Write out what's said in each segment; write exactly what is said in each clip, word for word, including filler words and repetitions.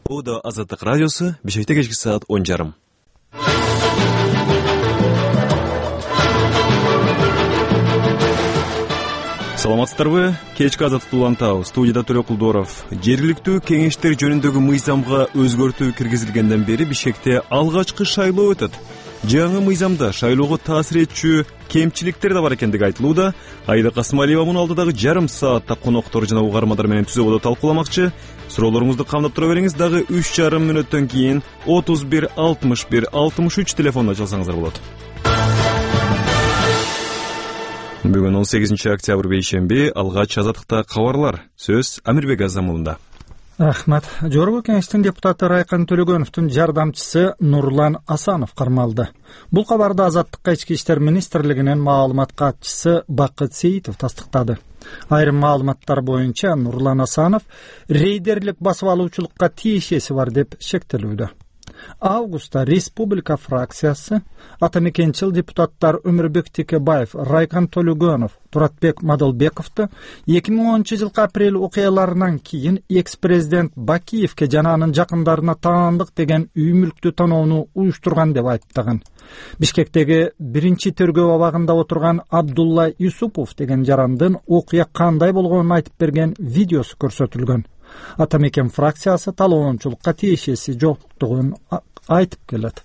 Буда Азаттык радиосу Бишкекте кечки саат он жарым. Саламатсыздарбы? Кечки Азаттыкты улантабыз. Студияда Төлө Кулдоров. Жергиликтүү кеңештер жөнүндөгү мыйзамга өзгөртүү киргизилгенден бери Бишкекте алгачкы шайлоо өтөт. Жаңы мыйзамда шайлоого таасир этчү кемчиликтер да бар экендиги айтылууда. Айда Касымалиева муну алдыдагы жарым саатта коноктор жана угармандар менен түзөбодо талкууламакчы. Суроолоруңузду камдап тура бериңиз, дагы үч жарым мүнөттөн кийин отуз бир алтымыш бир алтымыш үч телефонуна чалсаңыздар болот. Бүгүн он сегизинчи октябрь бейшемби, алгач Азаттыкта кабарлар. Сөз Амирбек Азамулунда. Рахмат. Жогорку кеңештин депутаты Райкан Төлөгөновдун жардамчысы Нурлан Асанов кармалды. Бул кабарды Азаттыкка ички иштер министрлигинин маалымат катчысы Бакыт Сейитов тастыктады. Айрым маалыматтар боюнча Нурлан Асанов рейдерлик басып алуучулукка тиешеси бар деп шектелүүдө. Августта республика фракциясы атамекенчил депутаттар Өмүрбек Текебаев, Райкан Төлөгөнов, Туратбек Мадалбековду эки миң онунчу жылкы апрель окуяларынан кийин экс-президент Бакиевке жана анын жакындарына таандык деген үй мүлктү тоноону уюштурган деп айыптаган. Бишкектеги биринчи тергөө абагында отурган Абдулла Юсупов деген жарандын окуя кандай болгонун айтып берген видеосу көрсөтүлгөн. Атамекен фракциясы талоончулукка тиешеси жоктугун айтып келет.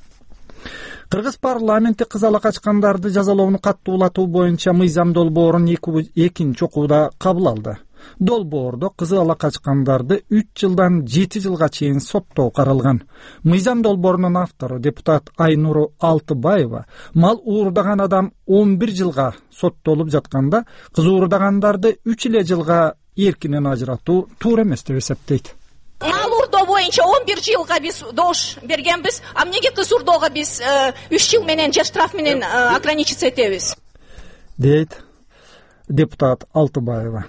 Кыргыз парламенти кыз ала качкандарды жазалоону каттуулатуу боюнча мыйзам долбоорун экинчи окууда кабыл алды. Долбоордо кыз ала качкандарды үч жылдан жети жылга чейин соттоо каралган. Мыйзам долбоорунун автору депутат Айнуру Алтыбаева мал уурдаган адам он бир жылга соттолуп жатканда, кыз уурдагандарды үч эле жылга эркинен ажыратуу туура эмес деп эсептейт. Мал уурдоо боюнча он бир жылга биз дош бергенбиз, а эмнеге кыз уурдоого биз үч жыл менен же штраф менен ограничиться этебиз? Дейт депутат Алтыбаева.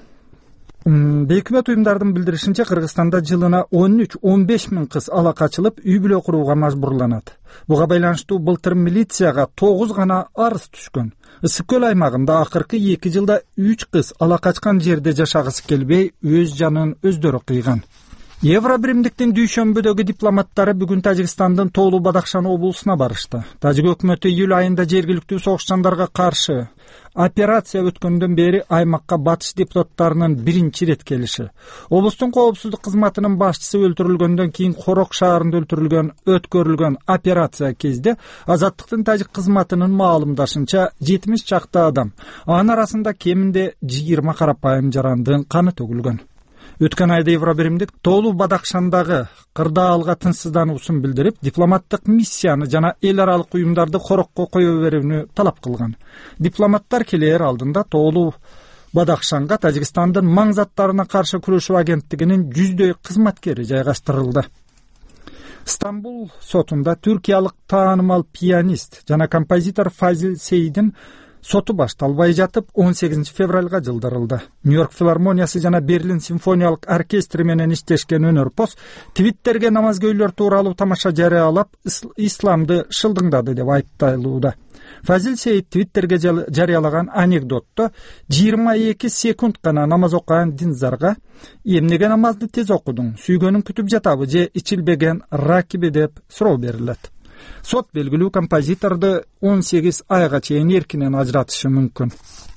Бейөкмөт уюмдардын билдиришинче, Кыргызстанда жылына он үч он беш миң кыз ала качылып, үй бүлө курууга мажбурланат. Буга байланыштуу былтыр милицияга тогуз гана арыз түшкөн. Ысык көл аймагында акыркы эки жылда үч кыз ала качкан жерде жашагысы келбей, өз жанын өздөрү кыйган. Евробиримдиктин дүйшөмбүдөгү дипломаттары бүгүн Тажикстандын Тоолуу Бадахшан облусуна барышты. Тажик өкмөтү июль айында жергиликтүү согушчандарга каршы операция өткөндөн бери аймакка батыш депутаттарынын биринчи рет келиши. Облустун коопсуздук кызматынын башчысы өлтүрүлгөндөн кийин Корок шаарында өлтүрүлгөн өткөрүлгөн операция кезде Азаттыктын тажик кызматынын маалымдашынча жетимиш чакты адам, анын арасында кеминде жыйырма карапайым жарандын каны төгүлгөн. Өткөн айда Евробиримдик Тоолуу Бадахшандагы кырдаалга тынчсыздануусун билдирип, дипломаттык миссияны жана эл аралык уюмдарды корокко кое берүүнү талап кылган. Дипломаттар келээр алдында Тоолуу Бадахшанга Тажикстандын маң заттарына каршы күрөшүү агенттигинин жүздөй кызматкери жайгаштырылды. Стамбул сотунда түркиялык таанымал пианист жана композитор Фазил Сейдин соту башталбай жатып он сегизинчи февралга жылдырылды. Нью-Йорк филармониясы жана Берлин симфониялык оркестри менен иштешкен өнөрпоз Твиттерге намазгөйлөр тууралуу тамаша жарыялап, исламды шылдыңдады деп айыпталууда. Фазил Сейд Твиттерге жарыялаган анекдотто жыйырма эки секунд гана намаз окуган динзарга эмнеге намазды тез окудуң, сүйгөнүң күтүп жатабы же ичилбеген ракиби деп суроо берилет. Сот белгилүү композиторду он сегиз айга чейин эркинен ажыратышы мүмкүн.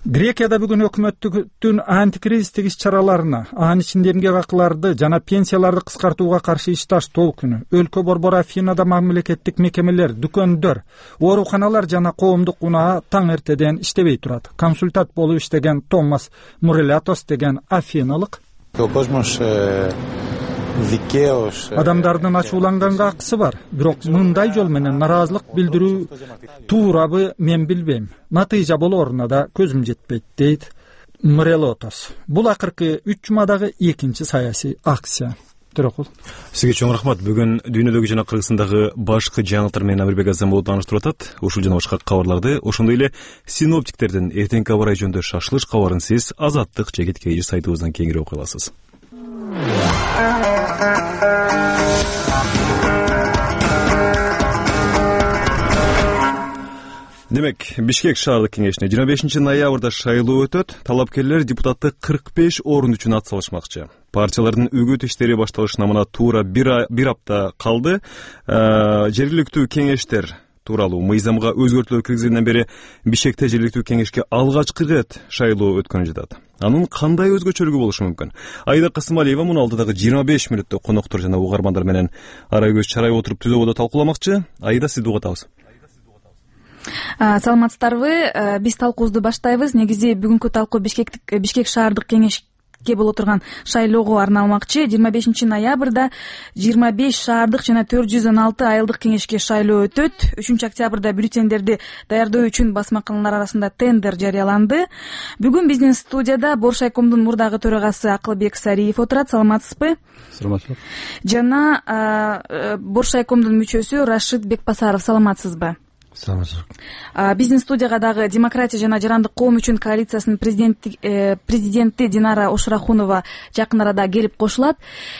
Грекияда бүгүн өкмөттүн антикризистик иш-чараларына, анын ичинде эмгек акыларды жана пенсияларды кыскартууга каршы иш таштоо күнү. Өлкө борбору Афинада мамлекеттик мекемелер, дүкөндөр, ооруканалар жана коомдук унаа таң эртеден иштебей турат. Консультант болуп иштеген Томас Мурелятос деген афиналык адамдардын ачууланганга акысы бар, бирок мындай жол менен наразылык билдирүү туурабы мен билбейм. Натыйжа болоруна да көзүм жетпейт, дейт Мурелотос. Бул акыркы үч жумадагы экинчи саясий акция. Төрөкул. Сизге чоң рахмат. Бүгүн дүйнөдөгү жана Кыргызстандагы башкы жаңылыктар менен Амирбек Азамулов тааныштырып атат. Ушул жана башка кабарларды, ошондой эле синоптиктердин эртеңки аба ырайы жөнүндө шашылыш кабарын сиз Азаттык жегит кеңеш сайтыбыздан кеңири окуй аласыз. Демек, Бишкек шаардык кеңешине жыйырма бешинчи ноябрда шайлоо өтөт. Талапкерлер депутаттык кырк беш орун үчүн ат салышмакчы. Партиялардын үгүт иштери башталышына мына туура бир бир апта калды. Жергиликтүү кеңештер тууралуу мыйзамга өзгөртүүлөр киргизилгенден бери Бишкекте жергиликтүү кеңешке алгачкы ирет шайлоо өткөнү жатат. Анын кандай өзгөчөлүгү болушу мүмкүн? Айда Касымалиева муну алдыдагы жыйырма беш мүнөттө коноктор жана угармандар менен ара көз чарайып отуруп түзөбодо талкууламакчы. Айда, сизди угатабыз. Саламатсыздарбы? Биз талкуубузду баштайбыз. Негизи бүгүнкү талкуу Бишкектик Бишкек шаардык кеңешке боло турган шайлоого арналмакчы. жыйырма бешинчи ноябрда жыйырма беш шаардык жана төрт жүз он алты айылдык кеңешке шайлоо өтөт. үчүнчү октябрда бюллетендерди даярдоо үчүн басмаканалар арасында тендер жарыяланды. Бүгүн биздин студияда Боршайкомдун мурдагы төрагасы Акылбек Сариев отурат. Саламатсызбы? Саламатсызбы. Жана Боршайкомдун мүчөсү Рашид Бекбасаров. Саламатсызбы? Биздин студияга дагы Демократия жана Жарандык коом үчүн коалициясынын президенти президенти Динара Ошурахунова жакын арада келип кошулат.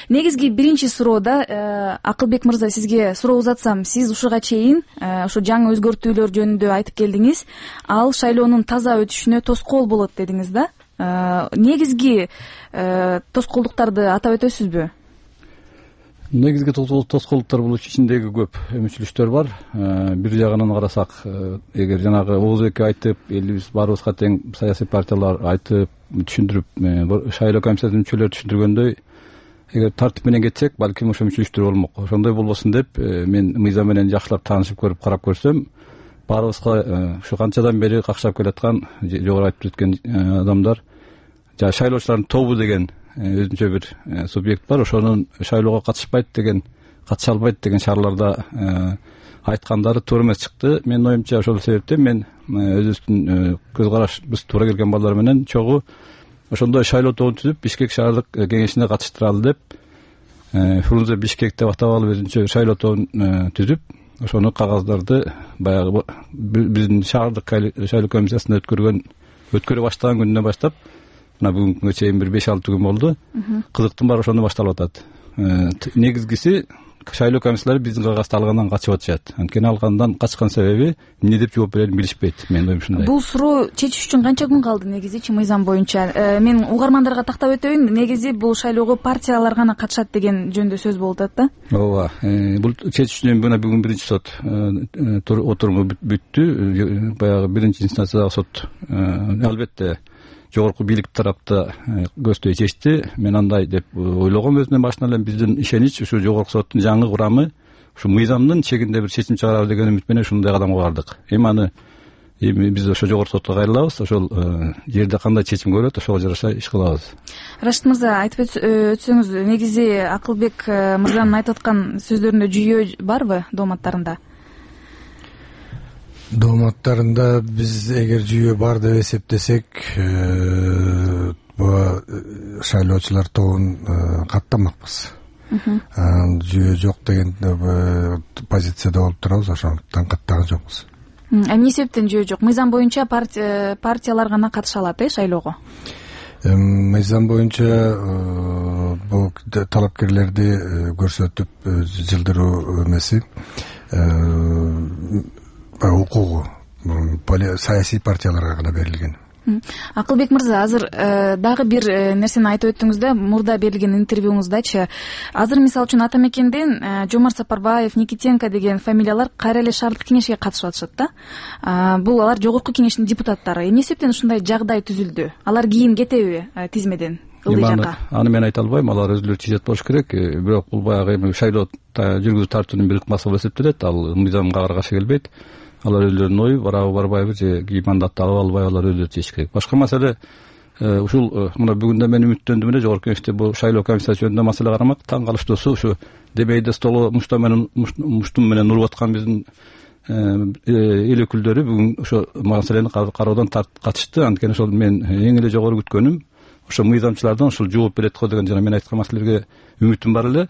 Негизги биринчи суроода Акылбек мырза, сизге суроо узатсам, сиз ушуга чейин ушу жаңы өзгөртүүлөр жөнүндө айтып келдиңиз. Ал шайлоонун таза өтүшүнө тоскоол болот дедиңиз да. Негизги тоскоолдуктарды атап өтөсүзбү? Негизги тоскоолдуктар бул ичиндеги көп өмүчүлүштөр бар. Бир жагынан карасак, эгер жанагы Оозбек айтып, элибиз баарыбызга тең саясий партиялар айтып, түшүндүрүп, шайлоо комиссиясынын мүчөлөрү түшүндүргөндөй, эгер тартип менен кетсек, балким ошо өмүчүлүштөр болмок. Ошондой болбосун деп, мен мыйзам менен жакшылап таанышып көрүп карап көрсөм, баарыбызга ушу канчадан бери какшап келаткан, жогору айтып өткөн адамдар, жана шайлоочулардын тобу деген өзүнчө бир субъект бар. Ошонун шайлоого катышпайт деген, катыша албайт деген шаарларда айткандары туура эмес чыкты. Менин оюмча ошол себептен мен өзүбүздүн көз карашыбыз туура келген балдар менен чогуу ошондой шайлоо тобун түзүп, Бишкек шаардык кеңешине катыштыралы деп, Фрунзе Бишкек деп атап алып өзүнчө шайлоо тобун түзүп, ошону кагаздарды баягы биздин шаардык шайлоо комиссиясында өткөргөн өткөрө баштаган күнүнөн баштап мына бүгүнкүгө чейин бир беш алты күн болду. Кызыктын баары ошондо башталып атат. Негизгиси шайлоо комиссиялары биздин кагазды алгандан качып атышат. Анткени алгандан качкан себеби эмне деп жооп берерин билишпейт. Менин оюм ушундай. Бул суроо чечиш үчүн канча күн калды негизичи мыйзам боюнча? Мен угармандарга тактап өтөйүн. Негизи бул шайлоого партиялар гана катышат деген жөнүндө сөз болуп атат да. Ооба. Бул чечиш үчүн мына бүгүн биринчи сот отуруму бүттү. Баягы биринчи инстанциядагы сот албетте жогорку бийлик тарапта көздөй чечти. Мен андай деп ойлогом өзүнөн башынан эле. Биздин ишенич ушу жогорку соттун жаңы курамы ушу мыйзамдын чегинде бир чечим чыгарабы деген үмүт менен ушундай кадамга бардык. Эми аны эми биз ошо жогорку сотко кайрылабыз. Ошол жерде кандай чечим көрөт, ошого жараша иш кылабыз. Рашид мырза, айтып өтсөңүз, негизи Акылбек мырзанын айтып аткан сөздөрүндө жүйөө барбы дооматтарында? Дооматтарында биз эгер жүйөө бар деп эсептесек, бул шайлоочулар тобун каттамакпыз. Жүйөө жок деген позицияда болуп турабыз, ошондуктан каттаган жокпуз. Эмне себептен жүйөө жок? Мыйзам боюнча партиялар гана катыша алат, э, шайлоого? Мыйзам боюнча бул талапкерлерди көрсөтүп жылдыруу эмеси укугу саясий партияларга гана берилген. Акылбек мырза, азыр дагы бир нерсени айтып өттүңүз да, мурда берилген интервьюңуздачы. Азыр мисалы үчүн Ата Мекенден Жомарт Сапарбаев, Никитенко деген фамилиялар кайра эле шаардык кеңешке катышып атышат да. Бул алар жогорку кеңештин депутаттары. Эмне себептен ушундай жагдай түзүлдү? Алар кийин кетеби тизмеден? Аны мен айта албайм, алар өзүлөрү чечет болуш керек. Бирок бул баягы эми шайлоо жүргүзүү тартуунун бир ыкмасы болуп эсептелет. Ал мыйзамга каршы келбейт. Алар өздөрүнүн ою барабы барбайбы же мандатты алып албайбы, алар өздөрү чечиш керек. Башка маселе ушул мына бүгүн да мен үмүттөндүм эле жогорку кеңеште бул шайлоо комиссиясы жөнүндө маселе карамак. Таң калыштуусу ушу дебейде столу муштум менен муштум менен уруп аткан биздин эл өкүлдөрү бүгүн ошо маселени кароодон катышты. Анткени ошол мен эң эле жогору күткөнүм ошо мыйзамчылардан ушул жооп берет го деген жана мен айткан маселелерге үмүтүм бар эле.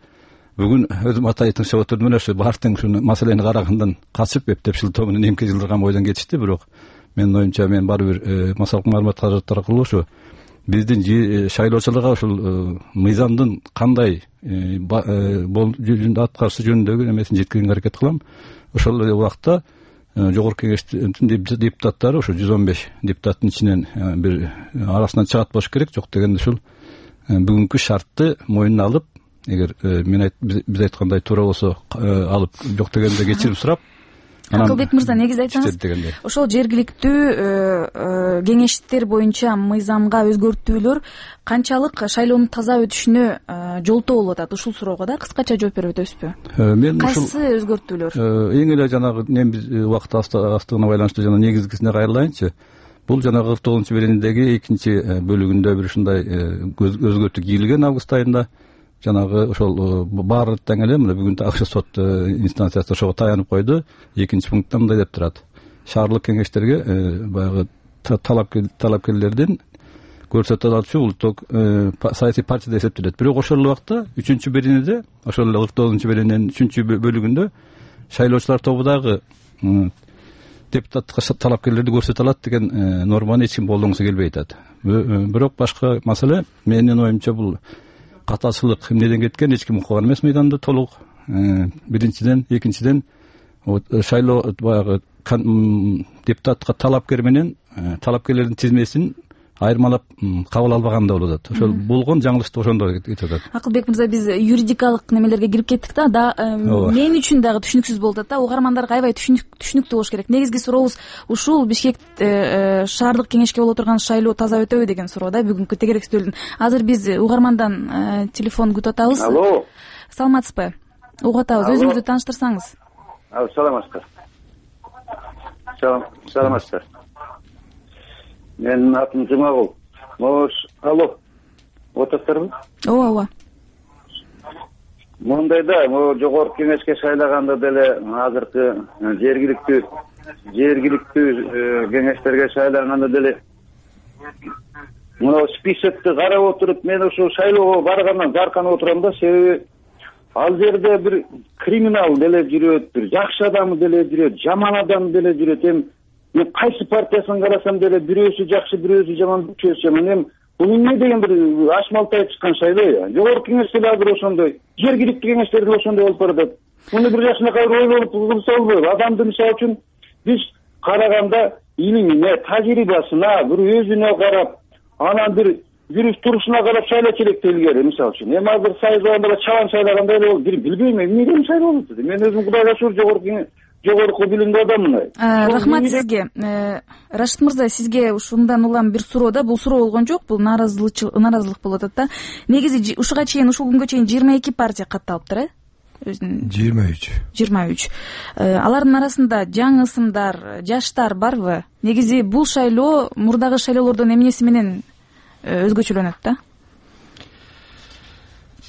Бүгүн өзүм атай тыңшап отурдум эле, ошо баардык ушул маселени карагандан качып эптеп шылтоо менен эмке жылдырган бойдон кетишти. Бирок менин оюмча мен баары бир массалык маалымат каражаттар аркылуу ушу биздин шайлоочуларга ушул мыйзамдын кандай жөнүндө аткарышы жөнүндөгү эмесин жеткиргенге аракет кылам. Ошол эле убакта жогорку кеңештин депутаттары ошо жүз он беш депутаттын ичинен бир арасынан чыгат болуш керек, жок дегенде ушул бүгүнкү шартты мойнуна алып, эгер мен биз айткандай туура болсо алып, жок дегенде кечирим сурап. Акылбек мырза, негизи айтсаңыз, ошол жергиликтүү кеңештер боюнча мыйзамга өзгөртүүлөр канчалык шайлоонун таза өтүшүнө жолтоо болуп атат? Ушул суроого да кыскача жооп берип өтөсүзбү? Мен кайсы өзгөртүүлөр? Эң эле жанагы мен биз убакыт астыгына байланыштуу жана негизгисине кайрылайынчы. Бул жанагы кырк тогузунчу беренедеги экинчи бөлүгүндө бир ушундай өзгөртүү кийилген август айында. Жанагы ошол баары тең эле мына бүгүн ак сот инстанциясы ошого таянып койду. Экинчи пунктта мындай деп турат: шаардык кеңештерге баягы талапкерлердин көрсөтө алчу улуттук саясий партия деп эсептелет. Бирок ошол убакта үчүнчү беренеде, ошол эле кырк тогузунчу берененин үчүнчү бөлүгүндө шайлоочулар тобудагы депутаттыкка талапкерлерди көрсөтө алат деген норманы эч ким колдонгусу келбей атат. Бирок башка маселе, менин оюмча, бул катачылык эмнеден кеткен, эч ким укуган эмес мыйданда толук. Биринчиден, экинчиден шайлоо баягы депутатка талапкер менен талапкерлердин тизмесин айырмалап кабыл албаган да болуп атат. Ошол болгон жаңылыштык ошондо кетип атат. Акылбек мырза, биз юридикалык немелерге кирип кеттик да, мен үчүн дагы түшүнүксүз болуп атат да, угармандарга аябай түшүнүктүү болуш керек. Негизги сурообуз ушул: Бишкек шаардык кеңешке боло турган шайлоо таза өтөбү деген суроо да, бүгүнкү тегеректүүлдүн. Азыр биз угармандан телефон күтүп атабыз. Алло. Саламатсызбы? Угуп атабыз. Өзүңүздү тааныштырсаңыз. Саламатсыздар. Саламатсыздар. Менин атым Жумагул. Мош, алло. Отаттарбы? Ооба, ооба. Мондай да, могу жогорку кеңешке шайлаганда деле азыркы жергиликтүү жергиликтүү кеңештерге шайланганда деле мына списокты карап отуруп, мен ошо шайлоого баргандан зарканып отурам да, себеби ал жерде бир криминал деле жүрөт, бир жакшы адам деле жүрөт, жаман адам деле жүрөт. Эми мен кайсы партиясын карасам деле бирөөсү жакшы, бирөөсү жаман, үчөөсү жаман. Эми бул эмне деген бир ашмалтай чыккан шайлоо. Жогорку кеңеште дагы бир ошондой, жергиликтүү кеңештерде ошондой болуп баратат. Муну бир жакшынакай ойлонуп кылса болбойбу? Адамды мисалы үчүн биз караганда илимине, тажрыйбасына, бир өзүнө карап, анан бир жүрүш турушуна карап шайлоо керек делгер, мисалы үчүн. Эми азыр шайлоогондо чалан шайлагандай эле болуп, бир билбейм эмне деген шайлоо болуп атат. Мен өзүм Кудайга шүгүр жогорку жогорку билимдүү адаммын. Рахмат сизге. Рашид мырза, сизге ушундан улам бир суроо да, бул суроо болгон жок, бул нааразылык нааразылык болуп атат да. Негизи ушуга чейин, ушул күнгө чейин жыйырма эки партия катталыптыр, э? жыйырма үч. жыйырма үч. Алардын арасында жаңы ысымдар, жаштар барбы? Негизи бул шайлоо мурдагы шайлоолордон эмнеси менен өзгөчөлөнөт да?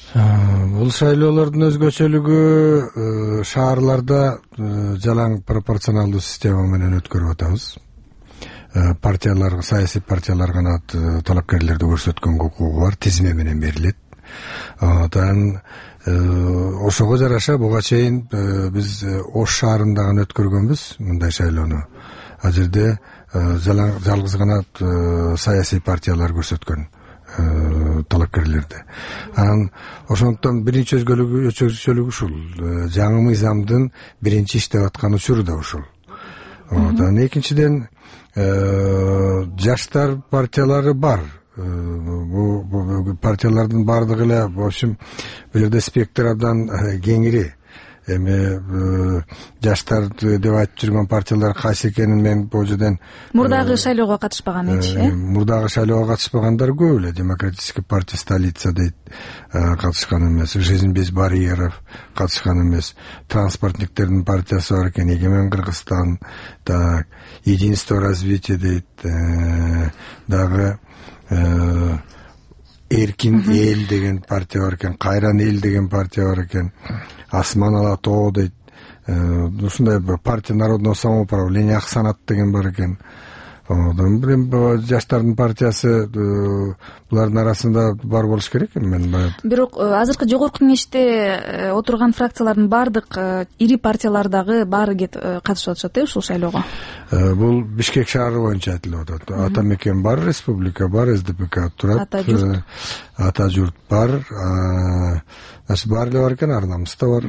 Бул шайлоолордун өзгөчөлүгү шаарларда жалаң пропорционалдуу система менен өткөрүп атабыз. Партиялар, саясий партиялар гана талапкерлерди көрсөткөнгө укугу бар, тизме менен берилет. Анан ошого жараша буга чейин биз Ош шаарында гана өткөргөнбүз мындай шайлоону. Ал жерде жалгыз гана саясий партиялар көрсөткөн талапкерлерди. Анан ошондон биринчи өзгөчөлүгү ушул. Жаңы мыйзамдын биринчи иштеп аткан учуру да ушул. Анан экинчиден жаштар партиялары бар. Бу партиялардын баардыгы эле, в общем, бул жерде спектр абдан кеңири. Эми жаштар деп айтып жүргөн партиялар кайсы экенин мен бул жерден мурдагы шайлоого катышпаган эч, э? Мурдагы шайлоого катышпагандар көп эле. Демократическая партия столица дейт, катышкан эмес. Жизнь без барьеров катышкан эмес. Транспортниктердин партиясы бар экен, Егемен Кыргызстан, так, Единство развития дейт, дагы Эркин эл деген партия бар экен, Кайран эл деген партия бар экен, Асман ала тоо дейт. Ушундай партия народного самоуправления, Ак Санат деген бар экен. Жаштардын партиясы булардын арасында бар болуш керек эми. Мен бирок азыркы жогорку кеңеште отурган фракциялардын баардык ири партиялардагы баары катышып атышат, э, ушул шайлоого. Бул Бишкек шаары боюнча айтылып атат. Ата мекен бар, республика бар, СДПК турат, Ата журт бар, баары эле бар экен, ар намыс да бар.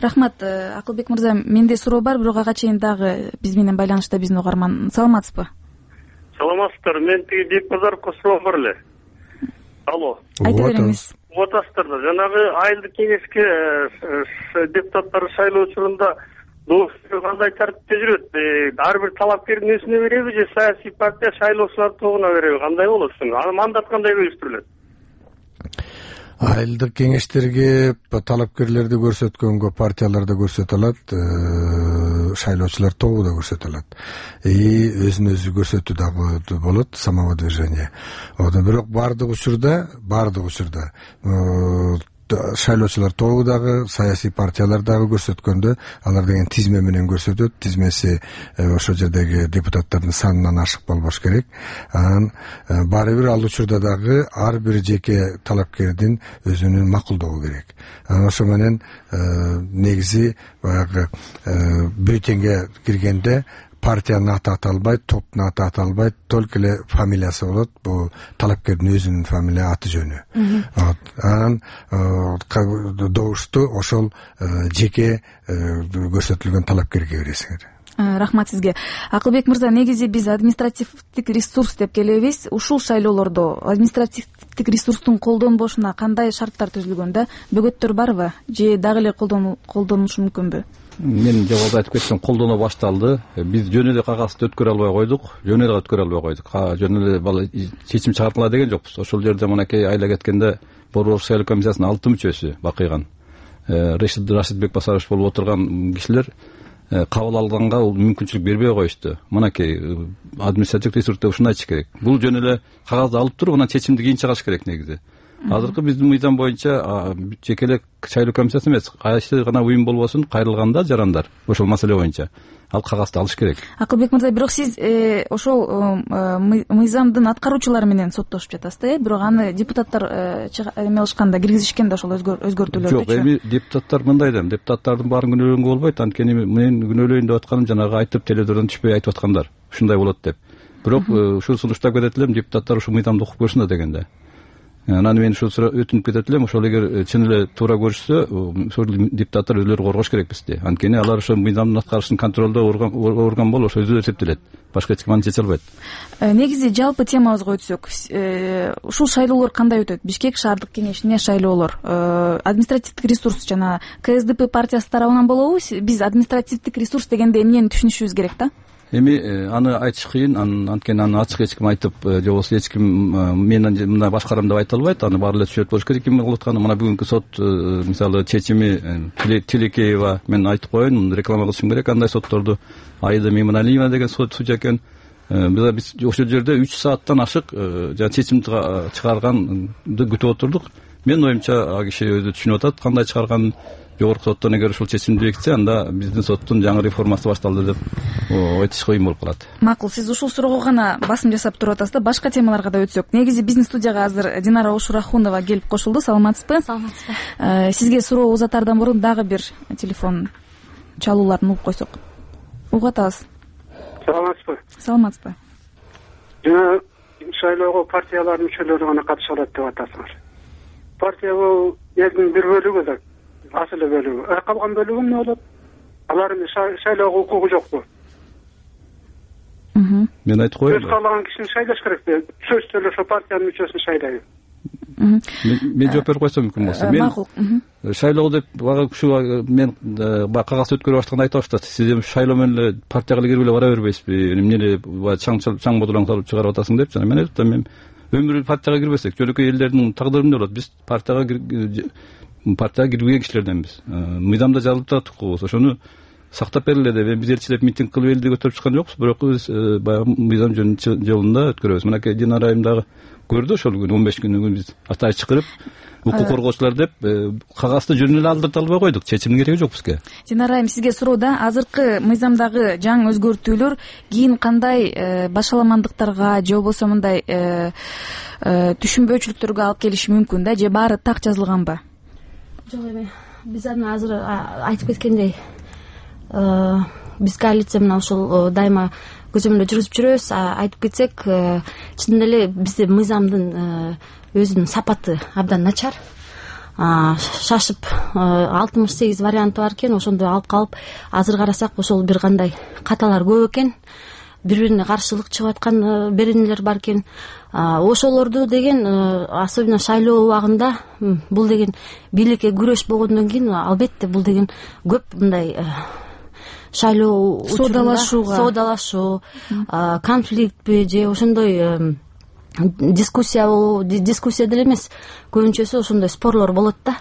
Рахмат. Акылбек мырза, менде суроо бар, бирок ага чейин дагы биз менен байланышта биздин угарман. Саламатсызбы? Саламатсыздар. Мен тиги Бекбазаровго суроом бар эле. Алло. Айта бериңиз. Угуп атасыздар да. Жанагы айылдык кеңешке депутаттар шайлоо учурунда кандай тартипте жүрөт? Ар бир талапкердин өзүнө береби же саясий партия шайлоочулар тобуна береби? Кандай болот ушуну? Аны мандат кандай бөлүштүрүлөт? Айылдык кеңештерге талапкерлерди көрсөткөнгө партияларда көрсөтө алат, шайлоочулар тобу да көрсөтө алат. И өзүн өзү көрсөтүү дагы болот, самовыдвижение. Бирок баардык учурда, баардык учурда шайлоочулар тобу дагы, саясий партиялар дагы көрсөткөндө алар деген тизме менен көрсөтөт. Тизмеси ошол жердеги депутаттардын санынан ашык болбош керек. Анан баары бир ал учурда дагы ар бир жеке талапкердин өзүнүн макулдоого керек. Анан ошо менен негизи баягы бюллетенге киргенде партиянын аты аталбайт, топтун аты аталбайт, только эле фамилиясы болот. Бул талапкердин өзүнүн фамилия, аты жөнү. Анан добушту ошол жеке көрсөтүлгөн талапкерге бересиңер. Рахмат сизге. Акылбек мырза, негизи биз административдик ресурс деп келебиз. Ушул шайлоолордо административдик ресурстун колдонбошуна кандай шарттар түзүлгөн да? Бөгөттөр барбы же дагы эле колдонушу мүмкүнбү? Мен жогоруда айтып кеттим, колдоно башталды. Биз жөн эле кагазды өткөрө албай койдук, жөн эле өткөрө албай койдук. Жөн эле чечим чыгартыла деген жокпуз. Ошол жерде мынакей айла кеткенде Борбор шайлоо комиссиясынын алты мүчөсү бакыйган. Рашид Рашид Бекбасарович болуп отурган кишилер кабыл алганга мүмкүнчүлүк бербей коюшту. Мынакей административдик ресурсты ушуну айтыш керек. Бул жөн эле кагазды алып туруп, анан чечимди кийин чыгарыш керек негизи. Азыркы биздин мыйзам боюнча жеке эле шайлоо комиссиясы эмес, кайсы гана уюм болбосун кайрылганда жарандар ошол маселе боюнча ал кагазды алыш керек. Акылбек мырза, бирок сиз ошол мыйзамдын аткаруучулары менен соттошуп жатасыз да, бирок аны депутаттар эме кылышканда, киргизишкен да ошол өзгөртүүлөрдү. Жок, эми депутаттар мындай да, депутаттардын баарын күнөөлөнгө болбойт. Анткени мен күнөөлөйүн деп атканым жанагы айтып теледордон түшпөй айтып аткандар. Ушундай болот деп. Бирок ушул сунуштап кетет элем, депутаттар ушул мыйзамды окуп көрсүн да дегенде. Анан мен ушул өтүнүп кетет элем, ошол эгер чын эле туура көрүшсө, ошол депутаттар өзүлөрү коргош керек бизди. Анткени алар ошо мыйзамдын аткарышын контролдоо орган болуп ошо өзүлөрү эсептелет. Башка эч ким аны чече албайт. Негизи жалпы темабызга өтсөк, ушул шайлоолор кандай өтөт? Бишкек шаардык кеңешине шайлоолор, административдик ресурс жана КСДП партиясы тарабынан болобу? Биз административдик ресурс дегенде эмнени түшүнүшүбүз керек да? Эми аны айтыш кыйын, анткени аны ачык эч ким айтып, же болбосо эч ким мен мындай башкарам деп айта албайт. Аны баары эле түшүнөт болуш керек ким кылып атканын. Мына бүгүнкү сот мисалы чечими Тилекеева, мен айтып коеюн, реклама кылышым керек, андай сотторду. Аида Меймоналиева деген судья экен. Биз ошол жерде үч сааттан ашык жана чечим чыгарганды күтүп отурдук. Менин оюмча ал киши өзү түшүнүп атат кандай чыгарганын. Жогорку соттон эгер ушул чечимди бекитсе, анда биздин соттун жаңы реформасы башталды деп айтыш кыйын болуп калат. Макул, сиз ушул суроого гана басым жасап туруп атасыз да. Башка темаларга да өтсөк. Негизи биздин студияга азыр Динара Ошурахунова келип кошулду. Саламатсызбы? Саламатсызбы. Сизге суроо узатардан мурун дагы бир телефон чалууларын угуп койсок. Угуп атабыз. Саламатсызбы? Саламатсызбы. Жана шайлоого партиялардын мүчөлөрү гана катыша алат деп атасыңар. Партия бул элдин бир бөлүгү да. Асыл бөлүгү. Калган бөлүгү эмне болот? Алардын шайлоого укугу жокпу? Мен айтып коеюн. Сөз каалаган кишини шайлаш керекпи? Сөз эле ошо партиянын мүчөсүн шайлайбы? Мен жооп берип койсом мүмкүн болсо. Мен шайлоо деп бага ушу мен кагаз өткөрүп баштаганда айтып атышты. Сиз шайлоо менен эле партияга кирип эле бара бербейсизби? Эмне эле чаң чаң бодолоң салып чыгарып атасың деп жана мен айтып атам, мен өмүрү партияга кирбесек, жөнөкөй элдердин тагдыры эмне болот? Биз партияга партияга кирбеген кишилерденбиз. Мыйзамда жазылып турат укугубуз. Ошону сактап бергиле деп, биз элчилеп митинг кылып элди көтөрүп чыккан жокпуз, бирок биз баягы мыйзам жолунда өткөрөбүз. Мынакей Динара айым дагы көрдү ошол күнү он беш күнү биз атайып чакырып укук коргоочулар деп кагазды жөн эле алдырта албай койдук. Чечимдин кереги жок бизге. Динара айым, сизге суроо да, азыркы мыйзамдагы жаңы өзгөртүүлөр кийин кандай башаламандыктарга же болбосо мындай түшүнбөөчүлүктөргө алып келиши мүмкүн да, же баары так жазылганбы? Жок, эми биз аны азыр айтып кеткендей, биз коалиция менен ушул дайыма көзөмөлдө жүргүзүп жүрөбүз. Айтып кетсек, чын эле бизде мыйзамдын өзүнүн сапаты абдан начар. шашып алтымыш сегиз варианты бар экен, ошондо алып калып азыр карасак ошол бир кандай каталар көп экен, бири бирине каршылык чыгып аткан беренелер бар экен. Ошолорду деген особенно шайлоо убагында бул деген бийликке күрөш болгондон кийин албетте бул деген көп мындай шайлоо соодалашууга соодалашуу конфликтпи же ошондой дискуссия дискуссия деле эмес, көбүнчөсү ошондой спорлор болот да.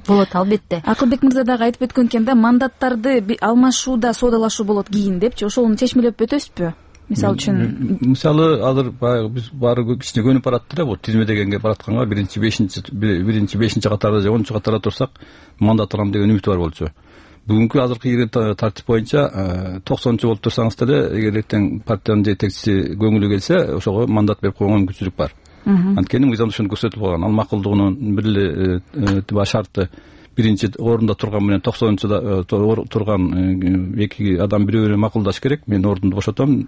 Болот албетте. Акылбек мырза дагы айтып өткөн экен да, мандаттарды алмашууда соодалашуу болот кийин депчи, ошону чечмелеп өтөсүзбү? Мисалы үчүн мисалы азыр баягы биз баары кичине көнүп баратты да, бул тизме дегенге баратканга биринчи бешинчи биринчи бешинчи катарда же онунчу катарда турсак мандат алам деген үмүт бар болчу. Бүгүнкү азыркы тартип боюнча токсонунчу болуп турсаңыз деле, эгер эртең партиянын жетекчиси көңүлү келсе, ошого мандат берип койгонго мүмкүнчүлүк бар. Анткени мыйзамда ошону көрсөтүлүп калган. Ал макулдугунун бир эле шарты биринчи орунда турган менен токсонунчуда турган эки адам бири бири макулдаш керек. Мен ордумду бошотом,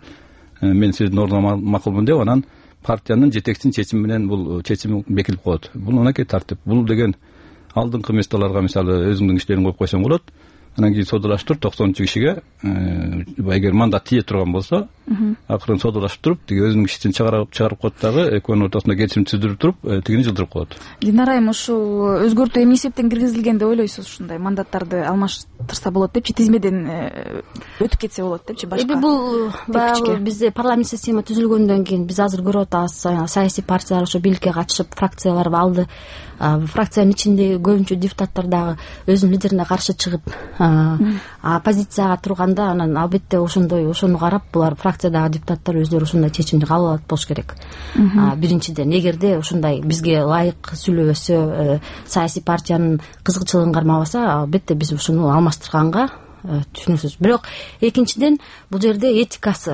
мен сиздин ордуңа макулмун деп, анан партиянын жетекчисинин чечими менен бул чечим бекилип коет. Бул мынакей тартип. Бул деген алдыңкы местолорго мисалы өзүңдүн кишилериңди коюп койсоң болот. Анан кийин соодалаштырып токсонунчу кишиге эгер мандат тие турган болсо, акырын соодалашып туруп, тиги өзүнүн кишисин чыгарып чыгарып коет дагы, экөөнүн ортосунда келишим түздүрүп туруп, тигини жылдырып коет. Динара айым, ушул өзгөртүү эмне эсептен киргизилген деп ойлойсуз? Ушундай мандаттарды алмаштырса болот депчи, тизмеден өтүп кетсе болот депчи, башка. Эми бул баягы бизде парламент система түзүлгөндөн кийин биз азыр көрүп атабыз, саясий партиялар ошо бийликке катышып фракциялар алды. Фракциянын ичиндеги көбүнчө депутаттар дагы өзүнүн лидерине каршы чыгып оппозицияга турганда, анан албетте ошондой ошону карап булар фракциядагы депутаттар өздөрү ошондой чечимди кабыл алат болуш керек. Биринчиден, эгерде ушундай бизге ылайык сүйлөбөсө, саясий партиянын кызыкчылыгын кармабаса, албетте биз ушуну алмаштырганга түшүнөсүз. Бирок экинчиден бул жерде этикасы,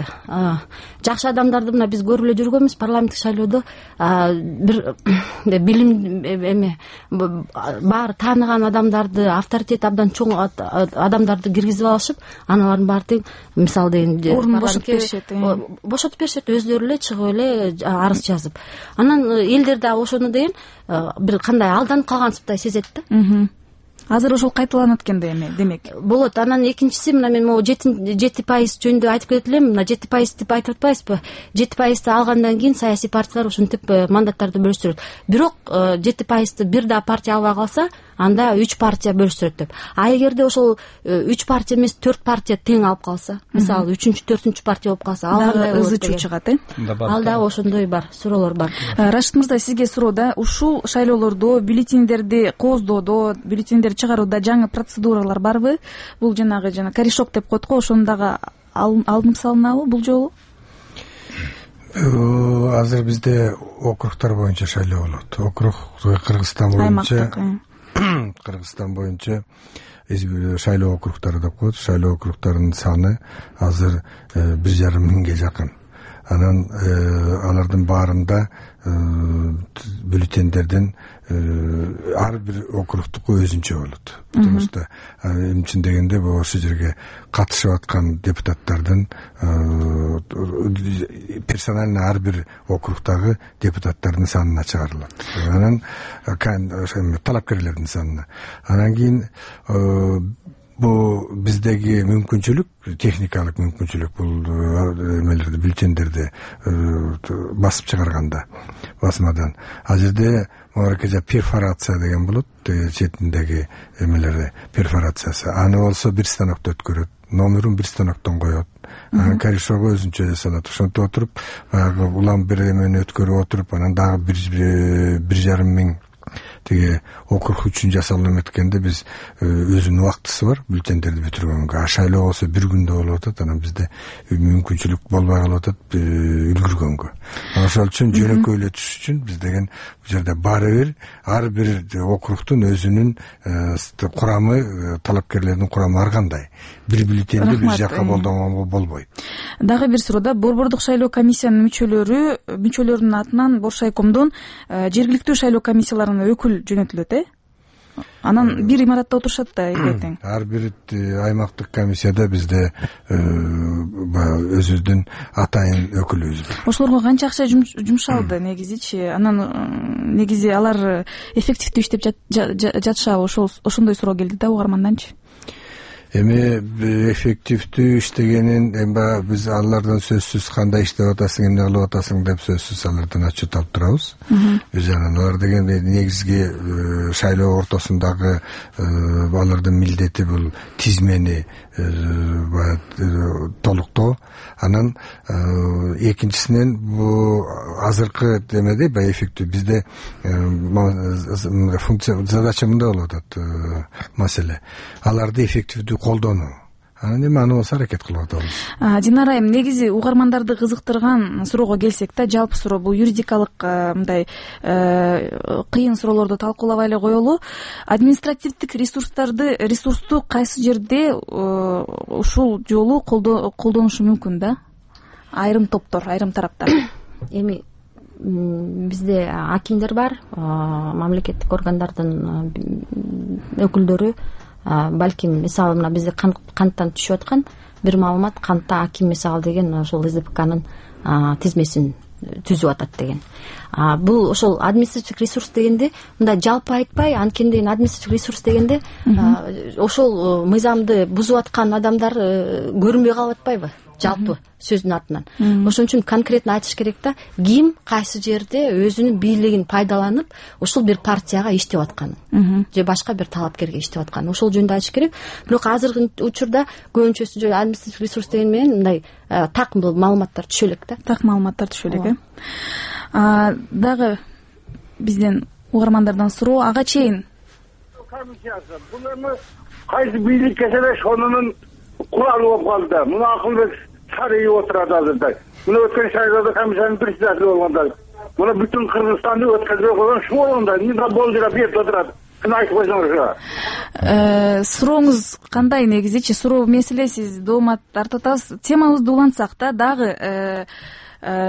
жакшы адамдарды мына биз көрүп эле жүргөнбүз парламенттик шайлоодо, бир билим эме баары тааныган адамдарды, авторитети абдан чоң адамдарды киргизип алышып, анан алардын баары тең мисалы деген орун бошотуп беришет. Бошотуп беришет, өздөрү эле чыгып эле арыз жазып. Анан элдер дагы ошону деген бир кандай алданып калгансыптай сезет да. Азыр ошол кайталанат экен да эми, демек. Болот. Анан экинчиси, мына мен могу жети пайыз жөнүндө айтып кетип элем. Мына жети пайыз деп айтып атпайбызбы? жети пайызды алгандан кийин саясий партиялар ушинтип мандаттарды бөлүштүрөт. Бирок жети пайызды бир да партия албай калса, анда үч партия бөлүштүрөт деп. А эгерде ошол үч партия эмес, төрт партия тең алып калса, мисалы үчүнчү, төртүнчү партия болуп калса, ал кандай болот? Ызы чуу чыгат, э? Ал дагы ошондой бар, суроолор бар. Рашид мырза, сизге суроо да, ушул шайлоолордо бюллетендерди кооздоодо, бюллетендерди чыгарууда жаңы процедуралар барбы? Бул жанагы жана корешок деп коет го, ошону дагы алынып салынабы бул жолу? Азыр бизде округтар боюнча шайлоо болот. Округ Кыргызстан боюнча Кыргызстан боюнча шайлоо округтары деп коет. Шайлоо округтарынын саны азыр бир жарым миңге жакын. Анан алардын баарында бюллетендердин ар бир округтуку өзүнчө болот. Потому что эмчи дегенде бул ошол жерге катышып аткан депутаттардын персонально ар бир округдагы депутаттардын санына чыгарылат. Анан талапкерлердин санына. Анан кийин бул биздеги мүмкүнчүлүк, техникалык мүмкүнчүлүк, бул эмелерди, бюллетендерди басып чыгарганда басмадан. Ал жерде моракежа перфорация деген болот, четиндеги эмелери перфорациясы. Аны болсо бир станокто өткөрөт, номерин бир станоктон коет. Анан корешогу өзүнчө жасалат. Ошентип отуруп, баягы улам бир эмени өткөрүп отуруп, анан дагы бир жарым миң тиги округ үчүн жасалып эметкенде биз өзүнүн убактысы бар бюллетендерди бүтүргөнгө. А шайлоо болсо бир күндө болуп атат, анан бизде мүмкүнчүлүк болбой калып атат үлгүргөнгө. Ошол үчүн жөнөкөйлөтүш үчүн биз деген бул жерде баары бир ар бир округдун өзүнүн курамы, талапкерлердин курамы ар кандай. Бир бюллетенди бир жака колдонгонго болбойт. Дагы бир суроо да, борбордук шайлоо комиссиянын мүчөлөрү мүчөлөрүнүн атынан Боршайкомдон жергиликтүү шайлоо комиссияларына өкүл жөнөтүлөт, э? анан бир имаратта отурушат да элбе тең. Ар бир аймактык комиссияда бизде баягы өзүбүздүн атайын өкүлүбүз бар. Ошолорго канча акча жумшалды негизичи? Анан негизи алар эффективдүү иштеп жатышабы? Ошол ошондой суроо келди да угарманданчы. Эми эффективдүү иштегенин эми биз алардан сөзсүз кандай иштеп атасың, эмне кылып атасың деп сөзсүз алардан отчет алып турабыз. Биз анан алар деген негизги шайлоо ортосундагы алардын милдети бул тизмени толуктоо. Анан экинчисинен бул азыркы демеде баягы эффектив бизде функция задача мындай болуп атат маселе. Аларды эффективдүү колдонуу. Анан эми аны болсо аракет кылып атабыз. Динара айым, негизи угармандарды кызыктырган суроого келсек да, жалпы суроо бул юридикалык мындай кыйын суроолорду талкуулабай эле коелу. Административдик ресурстарды ресурсту кайсы жерде ушул жолу колдонушу мүмкүн да? Айрым топтор, айрым тараптар. Эми бизде акимдер бар, мамлекеттик органдардын өкүлдөрү. Балким мисалы мына бизде канттан түшүп аткан бир маалымат, кантта аким мисалы деген ошол СДПКнын тизмесин түзүп атат деген. Бул ошол административдик ресурс дегенде мындай жалпы айтпай, анткени административдик ресурс дегенде ошол мыйзамды бузуп аткан адамдар көрүнбөй калып атпайбы? Жалпы сөздүн атынан. Ошон үчүн конкретно айтыш керек да, ким кайсы жерде өзүнүн бийлигин пайдаланып ушул бир партияга иштеп атканын же башка бир талапкерге иштеп атканын ошол жөнүндө айтыш керек. Бирок азыркы учурда көбүнчөсү жөн административдик ресурс деген менен мындай так маалыматтар түшө элек да. Так маалыматтар түшө элек, э? Дагы бизден угармандардан суроо, ага чейин комиссиясы бул эми кайсы бийликке деле ошонун куралы болуп калды да. Муну Акылбек Сарыев отурат азырда. Муну өткөн шайлоодо комиссиянын председатели болгондо. Муну бүтүн Кыргызстанды өткөзбөй койгон шу болгондо. Мында болжурап берип отурат. Ким айтып койсоңуз. Сурооңуз кандай негизичи? Суроо маселе сиз доомат тартып атасыз. Темабызды улантсак да, дагы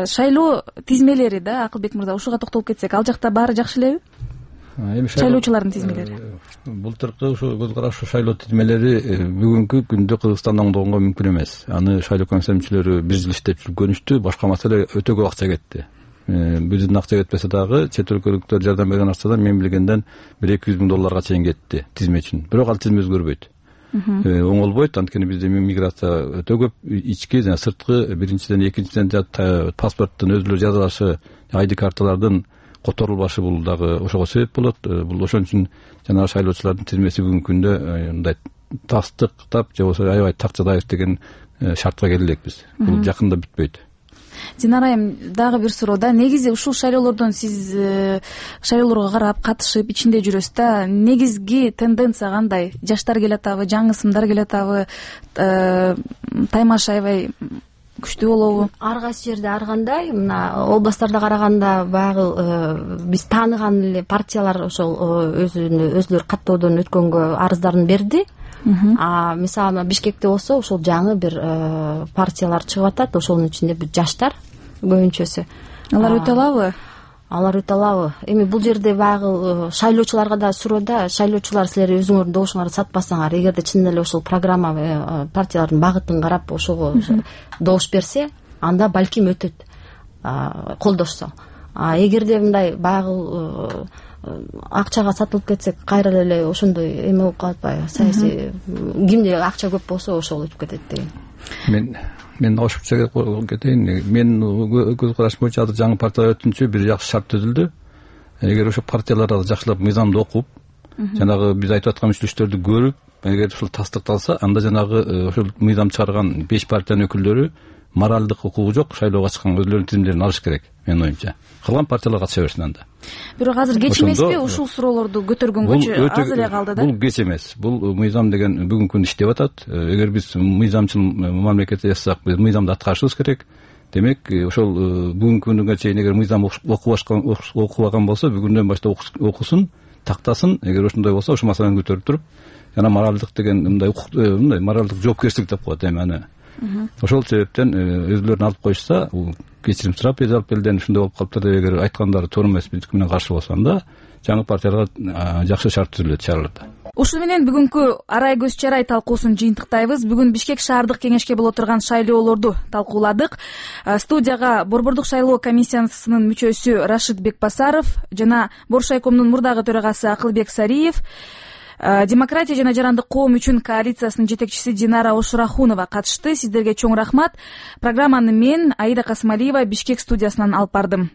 шайлоо тизмелери да, Акылбек мырза, ушуга токтолуп кетсек, ал жакта баары жакшы элеби? Эми шайлоочулардын тизмелери. Былтыркы ушу көз караштуу шайлоо тизмелери бүгүнкү күндө Кыргызстанда оңдогонго мүмкүн эмес. Аны шайлоо комиссия мүчөлөрү бир жыл иштеп жүргөнүштү. Башка маселе өтө көп акча кетти. Биздин акча кетпесе дагы чет өлкөлүктөр жардам берген акчадан мен билгенден бир эки жүз миң долларга чейин кетти тизме үчүн. Бирок ал тизме өзгөрбөйт. Оңолбойт, анткени бизде миграция өтө көп, ички жана сырткы, биринчиден, экинчиден паспорттун өзүлө жазылышы, ай ди карталардын которулбашы бул дагы ошого себеп болот. Бул ошон үчүн жанагы шайлоочулардын тизмеси бүгүнкү күндө мындай тастыктап же болбосо аябай такчадаев деген шартка келдик биз. Бул жакында бүтпөйт. Динара айым, дагы бир суроо да. Негизи ушул шайлоолордон сиз шайлоолорго карап, катышып, ичинде жүрөсүз да. Негизги тенденция кандай? Жаштар келатабы, жаңы сымдар келатабы, таймаш аябай күчтүү болобу? Ар кайсы жерде ар кандай, мына областтарда караганда баягы биз тааныган эле партиялар ошол өзүлөрү каттоодон өткөнгө арыздарын берди. А мисалы Бишкекте болсо ошол жаңы бир партиялар чыгып атат, ошонун ичинде жаштар көбүнчөсү. Алар өтө алабы? Алар өтө алабы? Эми бул жерде баягы шайлоочуларга да суроо да, шайлоочулар силер өзүңөрдүн добушуңарды сатпасаңар, эгерде чын эле ошол программа партиялардын багытын карап ошого добуш берсе, анда балким өтөт, колдошсо. А эгерде мындай баягы акчага сатылып кетсек, кайра эле ошондой эме болуп калат атпайбы? Саясий кимде акча көп болсо ошол өтүп кетет деген. Мен мен ошондой кетейин. Мен көз караш боюнча азыр жаңы партиялар өтүнчү бир жакшы шарт түзүлдү. Эгер ошо партиялар жакшылап мыйзамды окуп, жанагы биз айтып аткан мүчөлүктөрдү көрүп, эгер ушул тастыкталса, анда жанагы ошол мыйзам чыгарган беш партиянын өкүлдөрү моралдык укугу жок шайлоого чыккан өзүлөрүнүн тизимдерин алыш керек, менин оюмча. Калган партиялар катыша берсин анда. Бирок азыр кеч эмеспи ушул суроолорду көтөргөнгө? Азыр эле калды да. Бул кеч эмес. Бул мыйзам деген бүгүнкү күндө иштеп атат. Эгер биз мыйзамчыл мамлекет жасасак, биз мыйзамды аткарышыбыз керек. Демек, ошол бүгүнкү күнгө чейин эгер мыйзам окубаган болсо, бүгүндөн баштап окусун, тактасын. Эгер ошондой болсо, ошол маселени көтөрүп туруп, жана моралдык деген мындай мындай моралдык жоопкерчилик деп коет эми аны. ошол себептен өзүлөрүн алып коюшса, бул кечирим сурап эже алып келден ушундай болуп калыптыр деп эгер айткандары туура эмес, биздики менен каршы болсо, анда жаңы партияларга жакшы шарт түзүлөт шаарларда. Ушуну менен бүгүнкү арай көз чарай талкуусун жыйынтыктайбыз. Бүгүн Бишкек шаардык кеңешке боло турган шайлоолорду талкууладык. Студияга Борбордук шайлоо комиссиясынын мүчөсү Рашид Бекбасаров жана Боршайкомдун мурдагы төрагасы Акылбек Сариев, Демократия жана жарандык коом үчүн коалициясынын жетекчиси Динара Ошурахунова катышты. Сиздерге чоң рахмат. Программаны мен Аида Касымалиева Бишкек студиясынан алып бардым.